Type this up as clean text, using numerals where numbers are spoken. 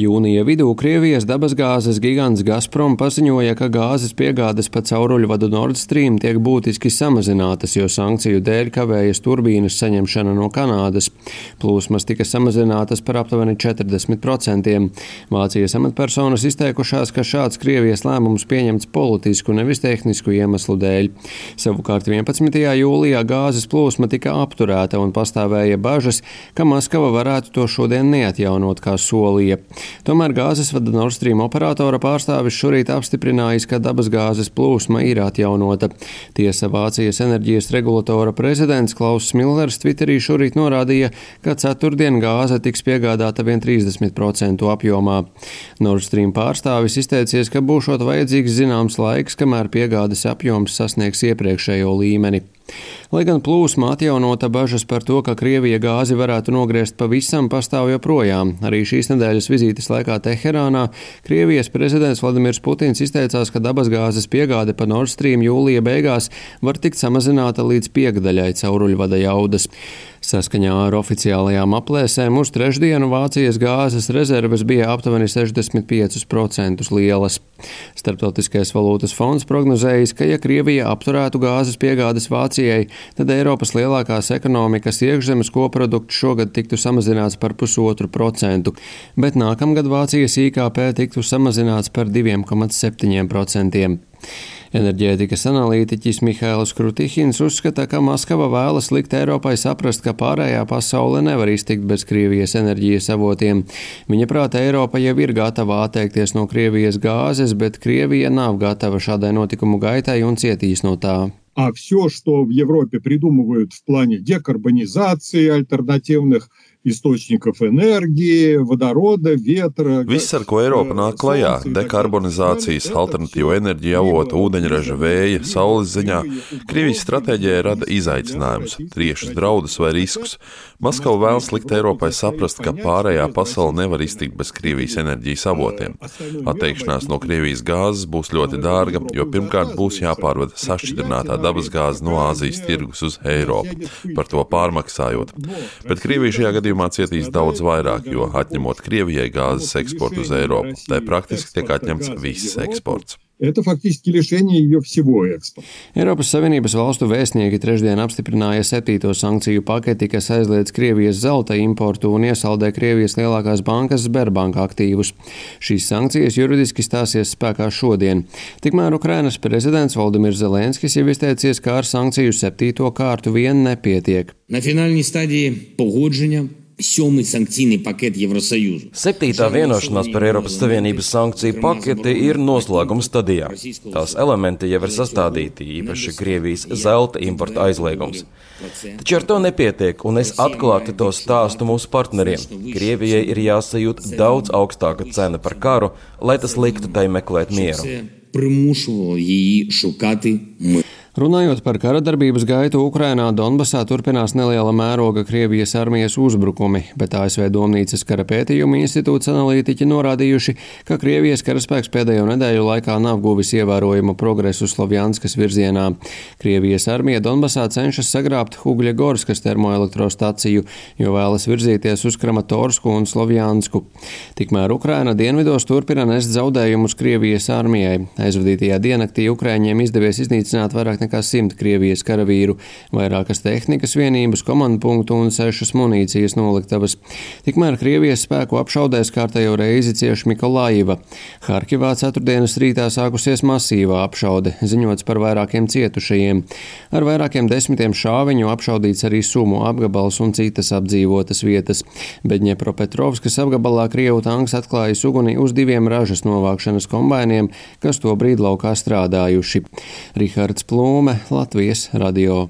Jūnija vidū Krievijas dabasgāzes gigants Gazprom paziņoja, ka gāzes piegādes pa cauruļvadu Nord Stream tiek būtiski samazinātas, jo sankciju dēļ kavējas turbīnas saņemšana no Kanādas. Plūsmas tika samazinātas par aptuveni 40%. Vācijas amatpersonas izteikušās, ka šāds Krievijas lēmums pieņemts politisku, nevis tehnisku iemeslu dēļ. Savukārt 11. jūlijā gāzes plūsma tika apturēta un pastāvēja bažas, ka Maskava varētu to šodien neatjaunot, kā solīja. Tomēr gāzes vada Nord Stream operatora pārstāvis šorīt apstiprinājis, ka dabasgāzes plūsma ir atjaunota. Tiesa Vācijas enerģijas regulatora prezidents Klauss Millers Twitterī šorīt norādīja, ka ceturtdien gāze tiks piegādāta vien 30% apjomā. Nord Stream pārstāvis izteicies, ka būšot vajadzīgs zināms laiks, kamēr piegādes apjoms sasniegs iepriekšējo līmeni. Lai gan plūsma atjaunota, bažas par to, ka Krievija gāzi varētu nogriezt pavisam, pastāv joprojām. Arī šīs nedēļas vizītes laikā Teherānā Krievijas prezidents Vladimirs Putins izteicās, ka dabasgāzes piegāde pa Nord Stream jūlija beigās var tikt samazināta līdz piekdaļai cauruļvada jaudas. Saskaņā ar oficiālajām aplēsēm uz trešdienu Vācijas gāzes rezerves bija aptuveni 65% lielas. Starptautiskais valūtas fonds prognozējis, ka ja Krievija apturētu gāzes piegādes Vācijai, tad Eiropas lielākās ekonomikas iekšzemes koprodukts šogad tiktu samazināts par 0,5%, bet nākamgad Vācijas IKP tiktu samazināts par 2,7%. Enerģētikas analītiķis Mihails Krutihins uzskata, ka Maskava vēlas likt Eiropai saprast, ka pārējā pasaule nevar iztikt bez Krievijas enerģijas avotiem. Viņa prāta Eiropa jau ir gatava atteikties no Krievijas gāzes, bet Krievija nav gatava šādai notikumu gaitai un cietīs no tā. А все, что в Европе придумывают в плане декарбонизации, альтернативных источников энергии, водорода, ветра... Viss, ar ko Eiropa nāk klajā, dekarbonizācijas, alternatīvu enerģiju avotu, ūdeņraža, vēja, saules ziņā, Krievijas stratēģijai rada izaicinājumus, triešus draudus vai riskus. Maskava vēlas likt Eiropai saprast, ka pārējā pasaule nevar iztikt bez Krievijas enerģijas avotiem. Atteikšanās no Krievijas gāzes būs ļoti dārga, jo pirmkārt būs jāpārvada sašķidrinātā dabasgāze no Āzijas tirgus uz Eiropu, par to pārmaksājot. Bet Krievija šajā gadījumā cietīs daudz vairāk, jo atņemot Krievijai gāzes eksportu uz Eiropu, tai praktiski tiek atņemts viss eksports. Это фактически лишение ее всего экспорта. Eiropas Savienības valstu vēstnieki trešdien apstiprināja 7. sankciju paketi, kas aizliedz Krievijas zelta importu un iesaldē Krievijas lielākās bankas Sberbank aktīvus. Šīs sankcijas juridiski stāsies spēkā šodien. Tikmēr Ukrainas prezidents Volodimirs Zelenskis jau izteicies, ka ar sankciju 7. kārtu vien nepietiek. На фінальній стадії погодження 7. sankcīni paketi Evrosajūzu. 7. vienošanās par Eiropas Savienības sankciju paketi ir noslēguma stadijā. Tās elementi jau ir sastādīti, īpaši Krievijas zelta importa aizliegums. Taču ar to nepietiek, un es atklāti to stāstu mūsu partneriem. Krievijai ir jāsajūt daudz augstāka cena par karu, lai tas liktu tai meklēt mieru. Примушувало її шукати мир. Runājot par kara darbības gaitu Ukrainā, Donbasā turpinās neliela mēroga Krievijas armijas uzbrukumi, bet ASV Domnīcas kara pētījuma institūts analītiķi norādījuši, ka Krievijas karaspēks pēdējo nedēļu laikā nav guvis ievērojumu progresu Slovjanskas virzienā. Krievijas armija Donbasā cenšas sagrābt Hugļegorskas termoelektrostaciju, jo vēlas virzīties uz Kramatorsku un Slovjansku. Tikmēr Ukraina dienvidos turpina nest zaudējumus Krievijas armijai. Aizvadītajā diennaktī Ukraiņiem izdevies iznīcināt vairāk nekā 100 Krievijas karavīru, vairākas tehnikas vienības, komandpunktu un 6 munīcijas noliktavas. Tikmēr Krievijas spēku apšaudēs kārtējo reizi cieši Mikolaiva. Harkivā ceturtdienas rītā sākusies masīvā apšaude, ziņots par vairākiem cietušajiem. Ar vairākiem desmitiem šāviņu apšaudīts arī Sumu apgabals un citas apdzīvotas vietas. Bet Ņepropetrovskas apgabalā Krievu tanks atklājis uguni uz 2 ražas novākšanas kombainiem, kas to brīd laukā strādājuši. Rihards Plūme, Latvijas radio.